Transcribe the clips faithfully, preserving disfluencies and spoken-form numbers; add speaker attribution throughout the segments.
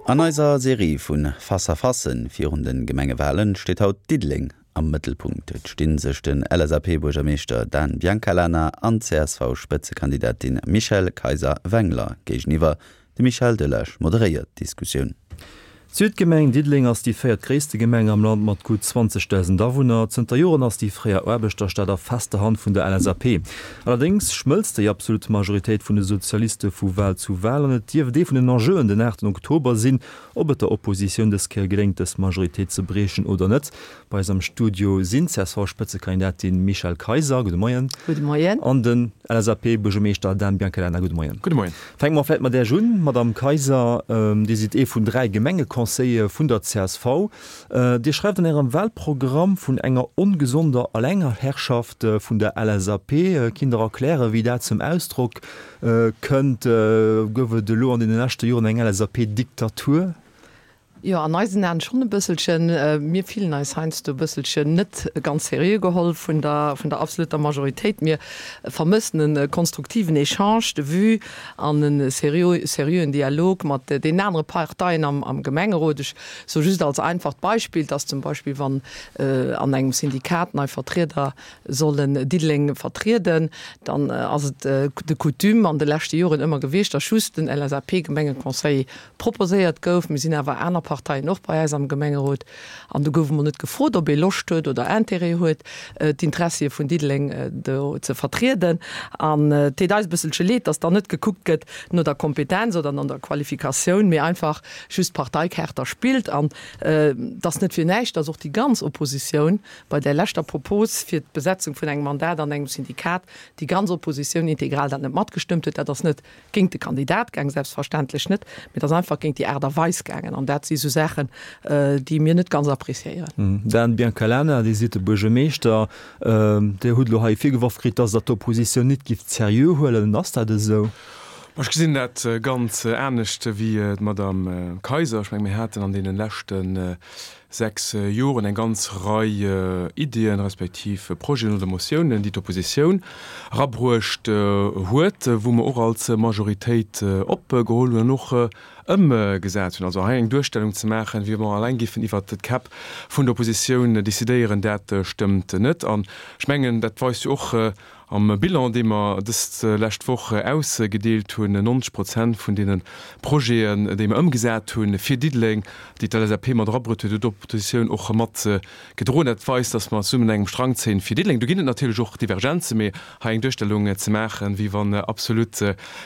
Speaker 1: An eiser Serie vu Face-à-facen virun de Gemengewalen steet haut Diddeleng am Mëttelpunkt. Et sti sech den L S A P-Buergermeeschter Dan Biancalana an D C S V-Spëtzekandidatin Michèle Kayser-Wengler géigeniwwer. De Michel Delage moderéiert d'Diskussioun.
Speaker 2: D'Südgemeng Diddeleng ass déi véiertgréisste Gemeng am Land mat gutt zwanzegdausend Awunner. Zënter Joren ass déi fréier Aarbechterstad a fester Hand vun der L S A P. Allerdéngs schmëlzt déi absolut Majoritéit vun de Sozialiste vu Wal zu Wal an et dierft ee vun den Enjeuen den aachten Oktober sinn, ob et der Oppositioun dës Kéier geléngt, dës Majoritéit ze briechen oder net. Bei eis am Studio sinn d'C S V-Spëtzekandidatin Michèle Kayser, gudde Moien.
Speaker 3: Gudde Moien.
Speaker 2: An den L S A P-Buergermeeschter Dan Biancalana, gudde Moien.
Speaker 4: Gudde Moien.
Speaker 2: Fänke mer vläicht mat Iech un, Madamm Kayser. Dir sidd ee vun dräi Gemengeconseillere vun der C S V. Dir schreift an Ärem Wahlprogramm vun enger ongesonder Allengherrschaft vun der L S A P. Kinnt Der erklären, wéi dat zum Ausdrock kënnt? Gouf et elo an deene leschte Joren eng L S A P-Diktatur?
Speaker 3: Jo, an eisen Aen schonn e bësselchen. Mir fillen eis heiansdo e bësselchen net ganz seriö geholl vun der, vun der absoluter Majoritéit. Mir vermëssen e konstruktiven Échange de vues an e seriö, seriöen Dialog mat den anere Parteien am, am Gemengerot. Ech soe just als einfacht Beispill, dass zum Beispill wann an engem Syndikat nei Vertrieder sollen Diddeleng vertrieden, dann ass et de Coutume an de leschte Joren ëmmer gewiescht, dass just den L S A P-Gemengeconseiller proposéiert gouf. Mir sinn awer aner Parteien och bei eis am Gemengerot an do gouf emol net gefrot, ob ee Loscht huet oder Intérêt huet, d'Intressie vun Diddeleng do ze vertrieden. An et deet eis e bësselche leed, dass dann net gekuckt gëtt no der Kompetenz oder no der Qualifikatioun, mee einfach just d'Parteikaart da spillt. An et ass net fir näischt, dass och déi ganz Oppositioun bei där leschter Propos fir d'Besetzung vun engem Mandat an engem Syndikat, déi ganz Oppositioun integral dat net matgestëmmt huet. Dat ass net géint de Kandidat gaang, selbstverständlech net, mee et ass einfach géint déi Aart a Weis gaangen. An dat si sou Saachen, déi mir net ganz appréciéieren.
Speaker 2: Dan Biancalana, Dir sidd de Buergermeeschter. Dir hutt elo hei virgeworf kritt, dass Der d'Oppositioun net gift seriö huelen. Ass dat esou?
Speaker 4: Ech gesinn dat ganz anescht wéi d'Madame Kayser. Ech menge mir haten an deene leschte sechs Joren eng ganz Rei Iddien respektiv Projeten oder Motiounen, déi d'Oppositioun erabruecht huet, wou mer och als Majoritéit opgeholl hunn an och ëmgesat hunn. Also hei eng Duerstellung ze maachen, wéi wa mer alleng géifen iwwert d'Käpp vun der Oppositioun decidéieren, dat stëmmt net. An ech mengen, dat weist jo och am Bilan, dee mer dës lescht Woch ausgedeelt hunn, neunzeg Prozent vun deene Projeten, déi mer ëmgesat hunn fir Diddeleng, déi d'L S A P mat erabruet huet, huet d'Oppositioun och mat gedroen. Dat weist, datt mer zesummen un engem Strang zéien fir Diddeleng. Do ginn et natierlech och Divergenzen, mee hei eng Duerstellung ze maachen, wéi wann absolut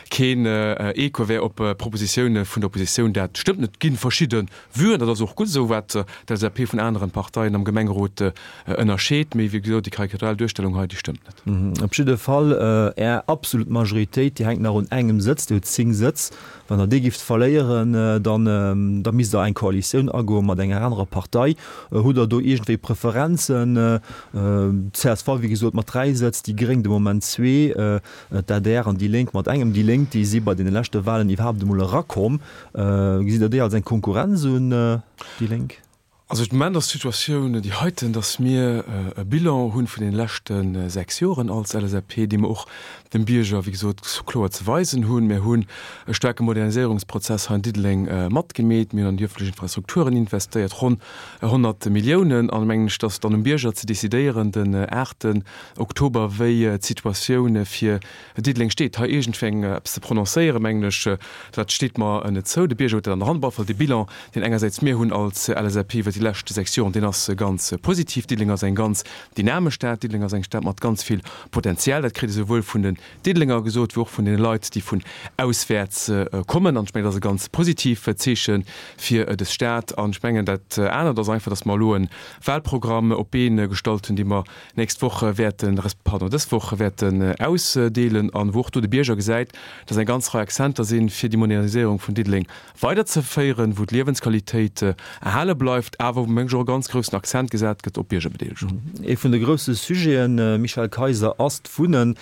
Speaker 4: keen Echo wär op Propositioune vun der Oppositioun, dat stëmmt net. Et gi verschidde Vuen, dat ass och gutt esou, wat d'L S A P vun aneren Parteien am Gemengerot ënnerscheet, mee wéi gesot, déi karikatural Duerstellung hei, déi stëmmt net.
Speaker 2: Op jidde Fall, Är absolut Majoritéit, déi hänkt nach un engem Sëtz, Dir hutt zéng Sëtz. Wann Der déi gifft verléieren, dann da misst Der eng Koalitioun agoe mat enger anerer Partei. Hutt Der do iergendwéi Preferenzen? D C S V, wéi gesot, mat dräi Sëtz, déi Gréng de Moment zwee, d'A D R an déi Lénk mat engem. Déi Lénk, déi si bei deene leschte Wahlen iwwerhaapt emol erakomm. Gesitt Der déi als eng Konkurrenz un, déi Lénk?
Speaker 4: Also de Moment ass d'Situatioun déi heiten, datt mir e Bilan hu vun deene leschte sechs Joren als L S A P, dee mer och dem Bierger, wéi gesot, kloer ze weisen hunn. Mir hunn e staarke Moderniséierungsprozess hei an Diddeleng matgemeet. Mir hunn an déi ëffentlech Infrastrukturen investéiert, ronn honnert Milliounen. An mengen ech, datt dann um Bierger ze decidéieren den aachten Oktober, wéi d'Situatioun fir Diddeleng steet. Hei iergendwéi eppes ze prononcéieren, mengen ech, dat steet mer net zou. De Bierger huet dat an der Hand. Op alle Fall de Bilan, deen engersäits mir hunn als L S A P iwwer déi lescht sechs Joren, deen ass ganz positiv. Diddeleng ass eng ganz dynamesch Stad. Diddeleng ass eng Stad mat ganz vill Potenzial. Dat kritt ee souwuel vun den Diddelenger gesot, wéi och vun deene Leit, déi vun auswäerts kommen. An ech mengen, dat ass e ganz positiv Zeeche fir dës Stad. An ech mengen, dat anert ass einfach, datt mer elo e Wahlprogramm op d'Been gestallt hunn, dee mer nächst Woch wäerten, resp. Pardon, dës Woch wäerten ausdeelen an wou och do de Bierger gesäit, datt eng ganz Rei Akzenter sinn, fir déi Moderniséierung vun Diddeleng weiderzeféieren, wou d'Liewensqualitéit erhale bleift, awer wou, meng ech, och e ganz groussen Akzent gesat gëtt op d'Biergerbedeelegung.
Speaker 2: Ee vun de grousse Sujeten, Michèle Kayser, ass d'Wunnen.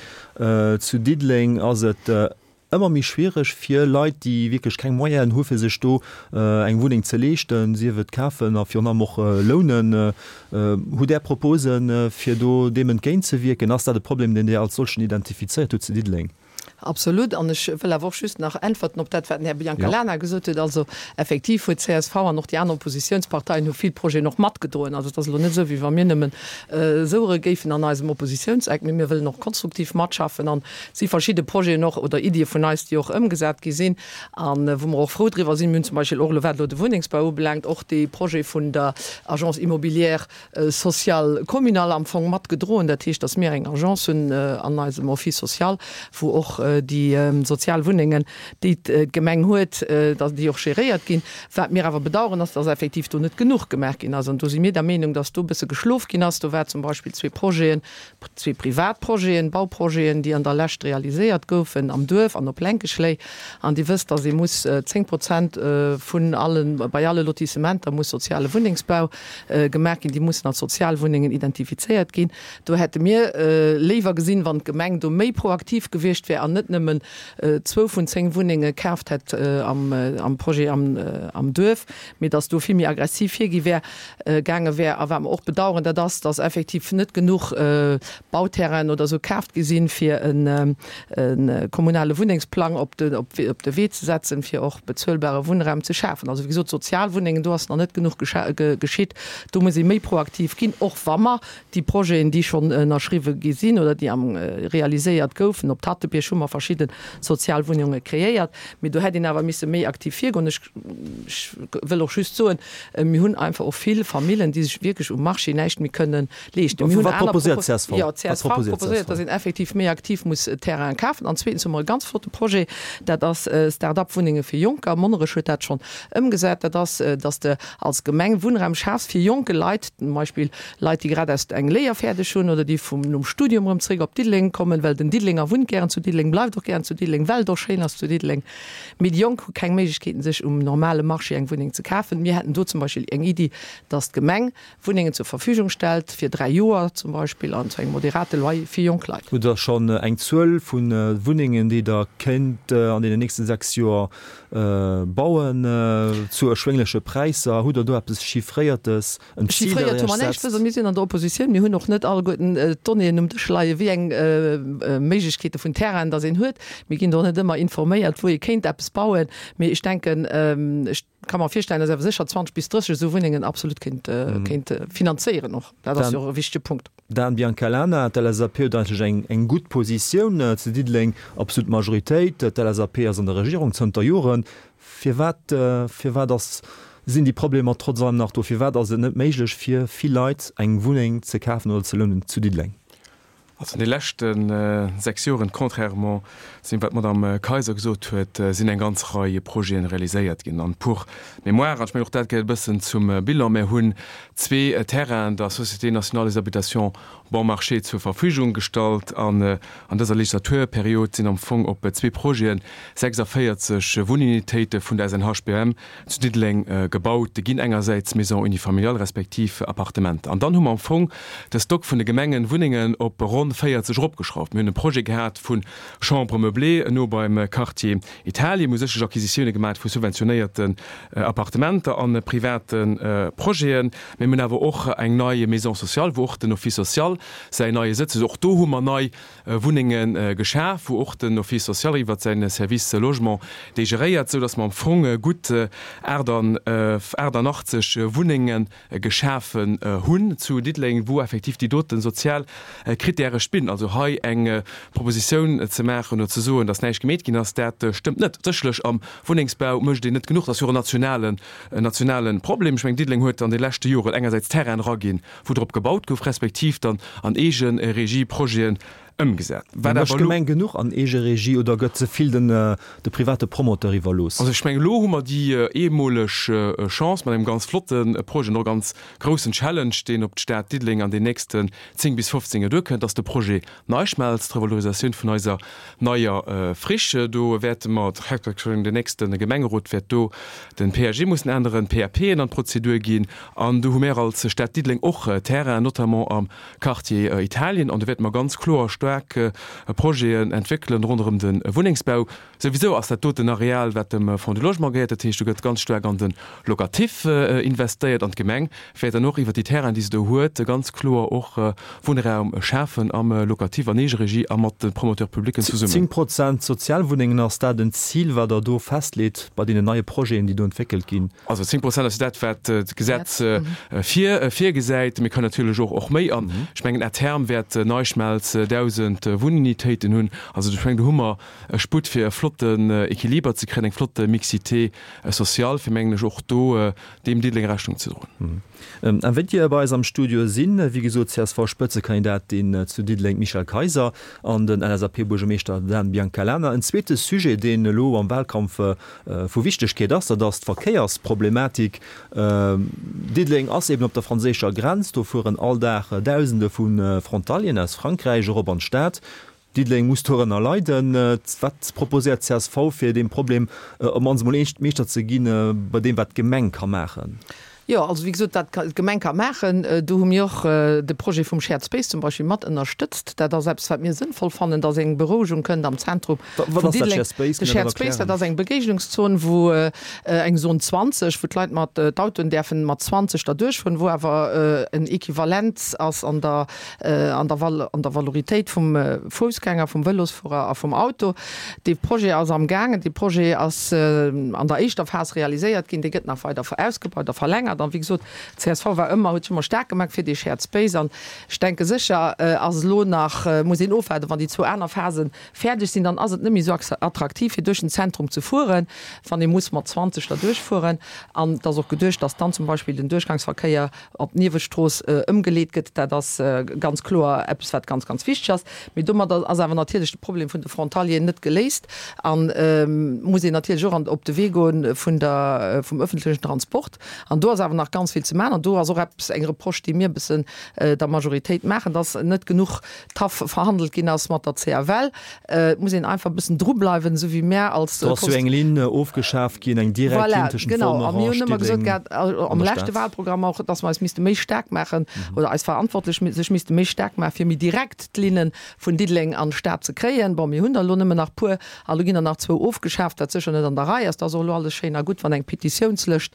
Speaker 2: Zu Diddeleng ass et ëmmer méi schwiereg fir Leit, déi wierklech keng Moyenen hu fir sech do eng Wunneng ze leeschten, sief et kafen a virun allem och lounen. Hutt Där Proposen, fir do deem entgéintzewierken? Ass dat e Problem, deen Dir als solchen identifizéiert hutt zu Diddeleng?
Speaker 3: Absolut. An ech wëll awer och just nach äntwerten op dat, wat den Här Biancalana gesot huet. Also effektiv huet csv an och déi aner Oppositionsparteien hu vill Projeten och matgedroen. Also et ass elo net esou, wéi wa mir nëmmen souere géifen an eisem Oppositionseck, mee mir wëllen och konstruktiv matschaffen an et si verschidde Projeten och oder Iddie vun eis, déi och ëmgesat gi sinn an wou mer och frou driwwer sinn. Mir hunn zum Beispill och elo, wat elo de Wunnengsbau ubelaangt, och dee Projet vun der Agence immobilière sociale communale am Fong matgedroen. Dat heescht, datt mir eng Agence hunn an eisem Office social, wou och déi sozial Wunnengen, déi d'Gemeng huet, datt déi och geréiert ginn. Wat mir awer bedauern, ass, datt effektiv do net genuch gemaach ginn ass. An do si mir der Meenung, datt do e bësse geschlof ginn ass. Do war zum Beispill zwee Projeten, zwee privat Projeten, Bauprojeten, déi an der Lescht realiséiert goufen am Duerf an op Lenkeschléi. An Dir wësst, datt ee muss zéng Prozent vun allen, bei alle Lotissementer muss soziale Wunnengsbau gemaach ginn. Déi mussen als Sozialwunnengen identifizéiert ginn. Do hätte mir léiwer gesinn, wann d'Gemeng do méi proaktiv gewiescht wär an net nëmmen zwou vun zéng Wunnenge kaaft hätt am Projet am Duerf, mee datt do vill méi aggressiv virgi wär, gaange wär. A wat mer och bedauern, dat ass, datt effektiv net genuch Bauterrainen oder esou kaaft gi sinn, fir e kommunale Wunnengsplang op de op de Wee ze setzen, fir och bezuelbare Wunnraum ze schafen. Also wéi gesot, Sozialwunnengen, do ass nach net genuch geschitt. Do muss ee méi proaktiv ginn, och wa mer déi Projeten, déi schonn ënnerschriwwe gi sinn oder déi am realiséiert goufen, op Tatebierg hu mer verschidde Sozialwunnunge kreéiert, mee do hätt een awer misse méi aktiv virgoen. Ech wëll och just soen, mir hunn einfach och vill Famillen, déi sech wierklech um Marché näischt méi kënnen leeschten. Mir hunn
Speaker 2: Wat
Speaker 3: aner
Speaker 2: proposéiert d'CSV?
Speaker 3: Jo,
Speaker 2: Wat
Speaker 3: d'CSV
Speaker 2: proposéiert
Speaker 3: proposéiert,
Speaker 2: d'CSV?
Speaker 3: datt een effektiv méi aktiv muss Terrainen kafen. An zweetens hu mer e ganz flotte Projet, dat ass Start-up-Wunnenge fir Jonker. Monnerech huet dat schonn ëmgesat. Dat ass, datt s de als Gemeng Wunnraum schafs fir jonke Leit, zum Beispill Leit, déi grad aus eng Léier fäerdeg hunn oder déi vum nom Studium erëm zréck op Diddeleng kommen, well den Diddelenger wunnt gären zu Diddeleng, bleift och gären zu Diddeleng, well et och schéin ass zu Diddeleng. Mee déi Jonk hu keng Méiglechkeeten, sech um normale Marché eng Wunneng ze kafen. Mir hätten do zum Beispill eng Iddi, datt d'Gemeng Wunnengen zur Verfügung stellt, fir dräi Joer zum Beispill an zu engem moderate Loyer fir jonk Leit.
Speaker 2: Hutt Der schonn eng Zuel vu Wunnengen, déi Der kéint an deenen nächste sechs Joer bauen zu erschwéngleche Präisser? Hutt Der do eppes Chiffréiertes, en Zil, dat
Speaker 3: Chiffréiert
Speaker 2: Der
Speaker 3: hu mer
Speaker 2: Iech
Speaker 3: näischt.
Speaker 2: setzt?
Speaker 3: Mir sinn an der Oppositioun. Mir hunn och net alleguerten d'Donnéeën um Dësch leien, wéi eng Méiglechkeete vun Terrainen datt een huet. Mir ginn do net ëmmer informéiert, wou ee kéint eppes bauen. Mee ech denken, ech ka mer virstellen, datt awer sécher zwanzeg bis drësseg esou Wunnengen absolut kéint kéint finanzéieren och. Dat ass jo och e wichtege Punkt.
Speaker 2: Dan Biancalana, D'LSAP huet eigentlech eng eng gutt Positioun zu Diddeleng, absolut Majoritéit. D'LSAP ass an der Regierung zënter Joren. Firwat firwat ass sinn déi Problemer trotz allem nach do? Firwat ass et net méiglech fir vill Leit eng Wunneng ze kafen oder ze lounen zu Diddeleng?
Speaker 4: Also an de leschte sechs Joren, contrairement zu deem wat d'Madame Kayser gesot huet, sinn eng ganz Rei Projete realiséiert ginn. An pour mémoire, an ech mengen och dat gehéiert e bëssen zum Bilan, mir hunn zwee Terrainen der Société nationale des habitations bon marché zur Verfügung gestallt an an dëser Legislaturperiod sinn am Fong op zwee Projete sechsundvierzig Wunnunitéite vun der S N H B M zu Diddeleng gebaut ginn, engersäits Maisons unifamiliales respektiv Appartementer. An dann hu mer am Fong de Stock vun de Gemengenwunnengen op ronn véierzeg eropgeschrauft. Mir hunn e Projet gehat vu Chambres meublées no beim Quartier Italien. Mir hu sécherlech Acquisitioune gemaach vu subventionéierten Appartementer a private Projeten. Mee mir hunn awer och eng nei Maison sociale, wou och den Office social säin neie Sëtz huet. Och do hu mer nei Wunnenge geschaf, wou och den Office social iwwert säin Service Logement déi geréiert, sou datt mer am Fong gutt aachtundachtzeg Wunnenge geschafen hunn zu Diddeleng, wou effektiv déi dote sozial Krittäre spillen. Also hei eng Propositioun ze maachen oder ze soen, datt näischt gemeet ginn ass, dat stëmmt net. Sécherlech am Wunnengsbau mécht een net genuch, dat ass jo och en nationalen, en nationale Problem. Ech mengen, Diddeleng huet an de leschte Joren engersäits Terrainen eraginn, wou drop gebaut gouf, respektiv dann an Eegeregie Projeten ëmgesat.
Speaker 2: Wat awer elo. Mécht d'Gemeng genuch an Eegeregie oder gëtt ze vill den de private Promoteur iwwerlooss?
Speaker 4: Also ech mengen, elo hu mer déi eemoleg Chance mat engem ganz flotte Projet an och ganz groussen Challenge, deen op d'Stad Diddeleng an den nächsten zéng bis fofzéng Joer duerkënnt, dass de Projet NeiSchmelz, d'Revalorisatioun vun eiser neier Friche, do wäerte mer, den nächste Gemengerot wäert do den P A G mussen änneren, d'P A P'en an d'Prozedur ginn an do hu mär als Stad Diddeleng och Terrainen, notamment am Quartier Italien, an do wäerte mer ganz kloer staark Projeten entwéckelen ronderëm de Wunnengsbau. Souwisou ass dat doten Areal, wat dem Fonds du Logement gehéiert, dat heescht, do gëtt ganz staark an de Locatif investéiert an d'Gemeng wäert dann och iwwert déi Terrainen, déi se do huet, ganz kloer och Wunnraum schafen am Locatif an Eegeregie a mat de Promoteurs publics zesummen.
Speaker 2: Zéng Prozent Sozialwunnengen, ass dat en Zil, wat Der do festleet bei deenen neie Projeten, déi do entwéckelt ginn?
Speaker 4: Also zéng Prozent ass jo dat, wat d'Gesetz virgesäit. Mir kënnen natierlech och och méi. An ech mengen, à terme wäert NeiSchmelz dausend Wunnunitéiten hunn. Also ech mengen, do hu mer e Sputt, fir e flotten Equiliber ze kréien, eng flott Mixité sociale, fir, mengen ech, och do deem Diddeleng Rechnung ze droen.
Speaker 2: Invitée bei eis am Studio sinn, wéi gesot, d'CSV-Spëtzekandidatin zu Diddeleng, d'Michèle Kayser, an den L S A P-Buergermeeschter Dan Biancalana. En zweete Sujet, deen elo am Wahlkampf vu Wichtegkeet ass, dat ass d'Verkéiersproblematik. Diddeleng ass eben op der franséischer Grenz, do fueren all Dag Dausende vu Frontalieren aus Frankräich erop an d'Stad. Diddeleng muss dorënner leiden. Wat proposéiert d'C S V, fir deem Problem op d'mannst emol Meeschter ze ginn, bei deem, wat d'Gemeng ka maachen?
Speaker 3: Jo, also wéi gesot, wat d'Gemeng ka maachen, do hu mir och de Projet vum Shared Space zum Beispill mat ënnerstëtzt. Dat ass eppes, wat mir sënnvoll fannen, dass eng Berouegung kënnt am Zentrum
Speaker 2: vun Diddeleng. Wat ass dat Shared Space?
Speaker 3: De Shared Space, dat ass eng Begéignungszon, wou eng Zone zwanzeg, wou d'Leit mat d'Autoen däerfen mat zwanzeg derduerch fueren, wou awer en Equivalent ass an der an der an der Valoritéit vum Foussgänger, vum Vëlosfuerer a vum Auto. Dee Projet ass am gaangen. Dee Projet ass an der éischter Phas realiséiert ginn. Dee gëtt nach weider ausgebaut a verlängert. An wéi gesot, d'C S V war ëmmer, huet sech ëmmer staark gemaach fir dee Shared Space. An ech denke sécher ass elo nach, muss een ofwaarden, wann déi zwou aner Phase fäerdeg sinn, dann ass et net méi esou attraktiv, fir duerch den Zentrum ze fueren, wann ee muss mat zwanzeg derduerch fueren. An et ass och geduecht, dass dann zum Beispill den Duerchgangsverkéier op d'Niewestrooss ëmgeleet gëtt. Dat ass ganz kloer eppes, wat ganz, ganz wichteg ass. Mee domadder ass awer natierlech de Problem vun de Frontalieren net geléist a muss een natierlech och op de Wee goen vun der, vum öffentlechen Transport. An do ass awer nach ganz vill ze maachen. An do ass och eppes, eng Reproche, déi mir e bëssen der Majoritéit maachen, dass net genuch tough verhandelt ginn ass mat der C F L. Et muss een einfach e bëssen drubleiwen, esou wéi mär als.
Speaker 2: Do ass jo eng Linn ofgeschaaft ginn, eng direkt Linn tëschent
Speaker 3: Voilà, genau. A mir hunn ëmmer gesot gehat, am leschte Wahlprogramm och, dass mer eis misste méi staark maachen oder eis Verantwortlech sech misste méi staark maachen, fir méi direkt d'Linne vun Diddeleng an d'Stad ze kréien. Bon, mir hunn der elo nëmmen nach puer, a lo ginn der nach zwou ofgeschaaft, wat sécher net an der Rei ass. Dat ass och elo alles schéin a gutt, wann eng Petitiounslëscht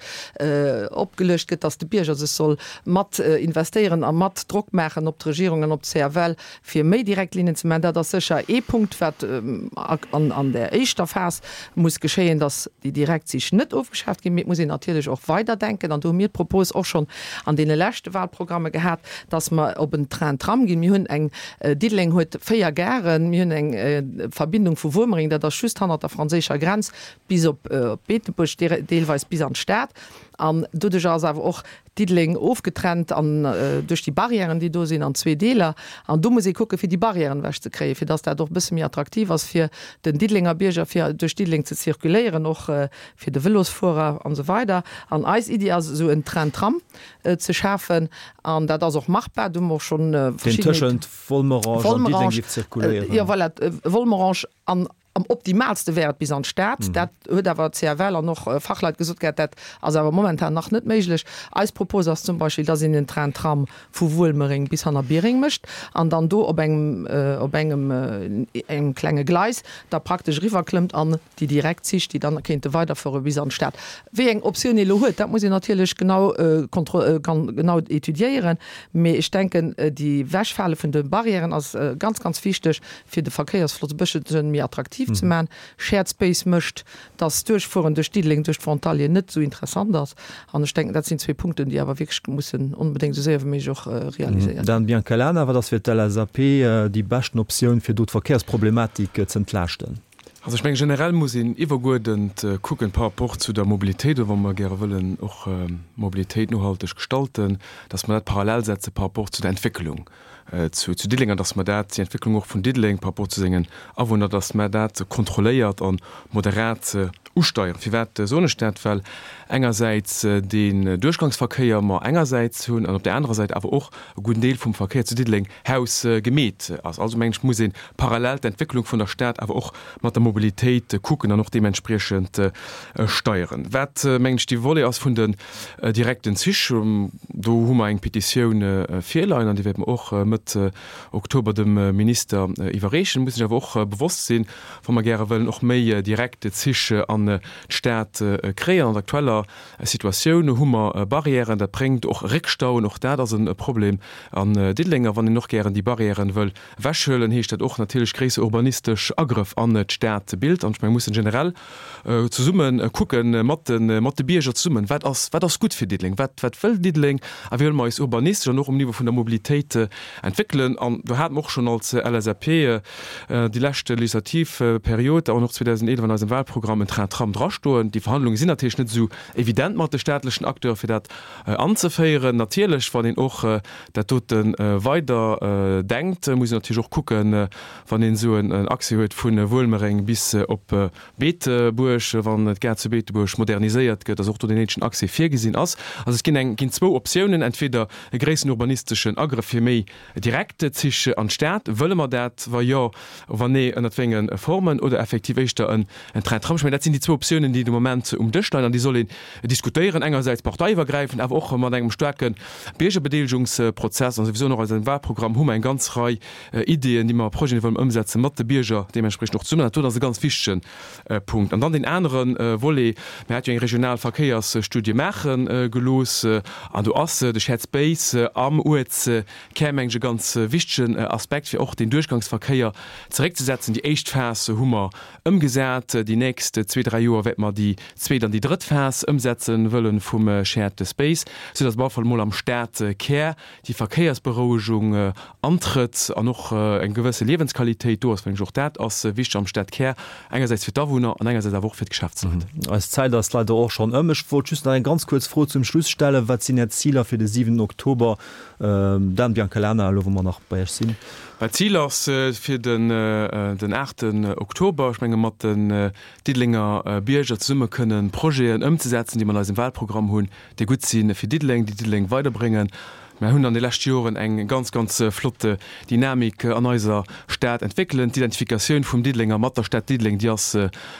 Speaker 3: opgeluecht gëtt, dass de Bierger sech soll mat investéieren a mat Drock maachen op d'Regierung an op d'C F L, fir méi direkt Linnen ze maachen. Dat ass sécher ee Punkt, wat an der éischter Phas muss geschéien, dass déi Direktzich net ofgeschaaft ginn. Mee et muss een natierlech och weiderdenken, an do hu mir d'Propos och schonn an deene leschte Wahlprogramme gehat, dass mer op en Train-Tram ginn. Mir hunn eng, Diddeleng huet véier Garen, mir hunn eng Verbindung vu Wuermereng, dat ass just hannert der franséischer Grenz, bis op Beetebuerg, deelweis bis an d'Stad. An doduerch ass awer och Diddeleng ofgetrennt an duerch déi Barrièren, déi do sinn, an zwee Deeler. An do muss ee kucken, fir déi Barrièren ewechzekréien, fir dass dat och e bësse méi attraktiv ass fir den Diddelenger Bierger, fir duerch Diddeleng ze zirkuléieren, och fir de Vëlosfuerer an esou weider. An eis Iddi ass, esou en Train-Tram ze schafen. An dat ass och machbar. Do hu mer och schonn
Speaker 2: verschidden. Deen tëschent Volmerange an Diddeleng géif zirkuléieren.
Speaker 3: Jo, voilà, Volmerange an Am optimaalste wär et bis an d'Stad. Dat huet awer d'C F L an och Fachleit gesot gehat, dat ass awer momentan nach net méiglech. Eis Propos ass zum Beispill, dass een en Train-Tram vu Wuelmereng bis hanner Biereng mécht an dann do op engem, op engem, engem klenge Gleis da praktesch eriwwerklëmmt an déi direkt Zich, déi dann kéinte weiderfuere bis an d'Stad. Wéi eng Optioun ee elo huet, dat muss een natierlech genau kontro, genau étudiéieren. Mee ech denken, déi Ewechfale vun de Barrièren ass ganz, ganz wichteg, fir de Verkéiersfloss e bësselchen méi attraktiv ze maachen. Shared Space mécht, dass d'Duerchfueren duerch Diddeleng, duerch d'Frontalieren net esou interessant ass. An ech denken, dat sinn zwee Punkten, déi awer wierklech mussen onbedéngt esou séier wéi méiglech och realiséiert ginn.
Speaker 2: Dan Biancalana, wat ass fir d'L S A P déi beschten Optioun, fir do d'Verkéiersproblematik z'entlaaschten?
Speaker 4: Also ech mengen, generell muss een iwwerguerdent kucken par rapport zu der Mobilitéit, oder wa mer gäre wëllen och Mobilitéit nohalteg gestalten, dass mer dat parallel setze par rapport zu der Entwécklung zu Diddeleng an dass mer dat, déi Entwécklung och vun Diddeleng par rapport zu sengen Awunner, dass mer dat kontrolléiert a moderat usteieren. Firwat soen ech dat? Well engersäits deen Duerchgangsverkéier mer engersäits hunn an op där anerer Säit awer och e gudden Deel vum Verkéier zu Diddeleng hausgemeet ass. Also mengen ech, muss ee parallel d'Entwécklung vun der Stad awer och mat der Mobilitéit kucken an och deementspriechend steieren. Wat, mengen ech, dee Volet ass vun den direkten Zich, do hu mer eng Petitioun virleien an déi wäerte mer och Mëtt Oktober dem Minister iwwerreechen. Muss sech awer och bewosst sinn, wa mer gäre wëllen och méi direkt Zich an d'Stad kréien, an der aktueller Situatioun hu mer Barrièren, dat bréngt och Réckstauen, och dat ass e Problem an Diddeleng. A wann een och gären déi Barrièren wëll ewechhuelen, heescht dat och natierlech gréisser urbanistesch Agrëff an d'Stadbild. An ech menge mussen generell zesumme kucken, mat de, mat de Bierger zesummen, wat ass, wat ass gutt fir Diddeleng, wat, wat wëll Diddeleng a wéi wëlle mer eis urbanistesch an och um Niveau vun der Mobilitéit entwéckelen. An do hate mer och schonn als LSAP déi lescht Legislativperiod an och zweedausendeelef an eisem Wahlprogramm en Train-Tram drastoen. Déi Verhandlunge sinn natierlech net esou evident mat de staatlechen Acteure fir dat anzeféieren. Natierlech, wann een och dat dote weider denkt, muss een natierlech och kucken, wann een esou en Accès huet vu Wuelmereng bis op Beetebuerg, wann d'Gare zu Beetebuerg moderniséiert gëtt, dass och do deen néidegen Accès virgesinn ass. Also et ginn eng, ginn zwou Optiounen, entweder e gréissen urbanisteschen Agrëff fir méi direkt Zich an d'Stad, wëlle mer dat, wa jo, wann nee, ënnert wéi enge Formen, oder effektiv éischter en Train-Tram. Ech mengen, dat sinn déi zwou Optiounen, déi de Moment um Dësch leien an déi soll een diskutéieren, engersäits parteiiwwergräifend, awer och mat engem staarke Biergerbedeelegungsprozess. An souwisou och an eisem Wahlprogramm hu mer eng ganz Rei Ideeën, déi mer, Projeten, déi mer wëllen ëmsetzen, mat de Bierger deementspriechend och zesummen. Dat do ass e ganz wichtege Punkt. An dann deen anere Volet, Mir hate jo eng regional Verkéiersstudie maache gelooss an do ass de Shared Space am Uertskär, meng ech, e ganz wichtegen Aspekt, fir och den Duerchgangsverkéier zeréckzesetzen. Déi éischt Phas hu mer ëmgesat. Déi nächst zwee, dräi Joer wäerte mer déi zweet an déi drëtt Phas ëmsetze wëlle vum Shared Space, soudass op alle Fall emol am Stadkär déi Verkéiersberouegung antrëtt an och eng gewësse Liewensqualitéit do ass, well ech och dat ass wichteg am Stadkär, engersäits fir d'Awunner an engersäits awer och fir d'Geschäftsleit.
Speaker 2: Eis Zäit ass leider och schonn ëm. Ech wollt just nach eng ganz kuerz Fro zum Schluss stellen. Wat sinn Är Ziler fir de siwenten Oktober? Dan Biancalana, elo wou mer nach bei Iech sinn.
Speaker 4: Mä d'Zil ass fir den den aachten Oktober, ech menge mat den Diddelenger Bierger zesumme kënnen Projeten ëmzesetzen, déi mer an eisem Wahlprogramm hunn, déi gutt si fir Diddeleng, déi Diddeleng weiderbréngen. Mer hunn an de leschte Joren eng ganz, ganz flott Dynamik an eiser Stad entwéckelen. D'Identifikatioun vum Diddelenger mat der Stad Diddeleng, déi ass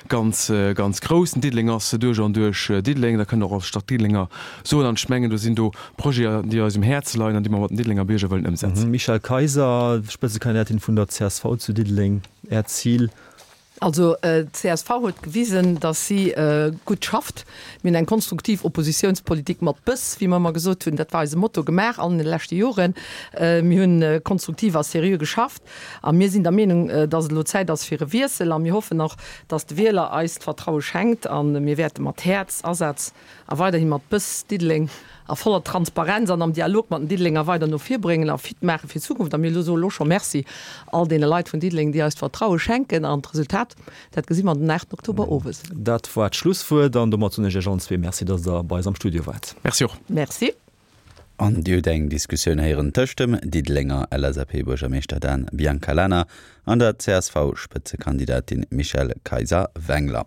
Speaker 4: ganz, ganz grouss. Den Diddeleng ass duerch an duerch Diddeleng, dat kënnen och als Stad Diddelenger soen. An ech mengen, do sinn do Projeten, déi eis um Häerz leien an déi mer mat den Diddelenger Bierger wëllen ëmsetzen.
Speaker 2: Michèle Kayser, Spëtzekandidatin vun der csv zu Diddeleng, Äert Zil?
Speaker 3: Also d'CSV huet gewisen, datt si gutt schafft. Mir hunn eng konstruktiv Oppositiounspolitik mat Bëss, wéi mer ëmmer gesot hunn, dat war eise Motto, gemaach an de leschte Joren. Mir hunn konstruktiv a seriö geschafft a mir sinn der Meenung, datt et elo Zäit ass fir e Wiessel a mir hoffen och, datt de Wieler eis d'Vertraue schenkt a mir wäerte mat Häerz, Asaz a weiderhi mat Bëss Diddeleng a voller Transparenz an am Dialog mat den Diddelenger weider no vir bréngen a fit maache fir d'Zukunft. A mir soe lo scho Merci all deene Leit vun Diddeleng, déi eis d'Vertraue schenken. An d'Resultat, dat gesi mer den aachten Oktober owes.
Speaker 2: Dat war d'Schlusswuert an domat soen ech Iech allen zwee Merci, dass Der bei eis am Studio waart.
Speaker 4: Merci och.
Speaker 3: Merci.
Speaker 1: An Dir hutt eng Diskussioun héieren tëscht dem Diddelenger LSAP-Buergermeeschter Dan Biancalana an der CSV-Spëtzekandidatin Michèle Kayser-Wengler.